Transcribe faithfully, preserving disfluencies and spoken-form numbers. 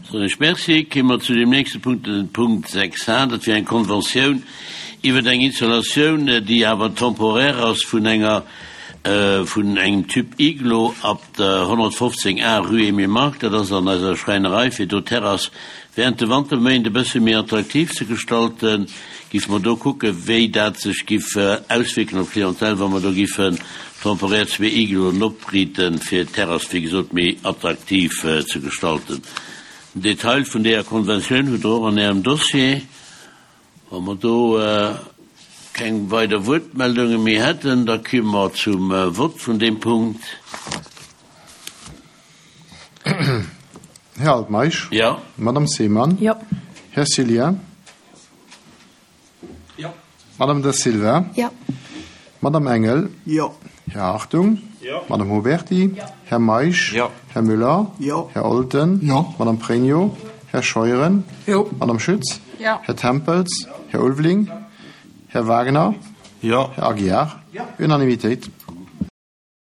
Soen ech Merci. Kéime mer zu deem nächste Punkt, den Punkt sechs a. Dat wier eng Konventioun iwwer eng Installatioun, déi awer temporaire ass, vun enger, vun engem Typ Iglo ab der honnertfofzéng a Rue Emile Mark. Dat ass an eiser Schräinerei, fir do d'Terrass während de Wanterméint e bësse méi attraktiv ze gestalten. Giffe mer do kucken, wéi dat sech giff auswierken op d'Clientèle, wa mer do giffen temporaire zwee Igloen opriiten, fir d'Terrass, wéi gesot, méi attraktiv ze gestalten. Den Detail vun deeër Konventioun hutt Der och an Ärem Dossier. Wa mer do keng weider Wuertmeldunge méi hätten, da komme mer zum Vott vun deem Punkt. Här Altmeisch? Jo. Madame Seemann? Jo. Här Cillien? Jo. Madame Da Silva? Jo. Madame Engel? Jo. Här Hartung? Jo. Madame Huberty? Jo. Här Meisch? Jo. Här Müller? Jo. Här Olten? Jo. Madame Pregno? Här Scheuren? Jo. Madame Schütz? Jo. Här Tempels? Här Ulveling? Här Wagner? Jo. Här Aguiar? Jo. Unanimitéit.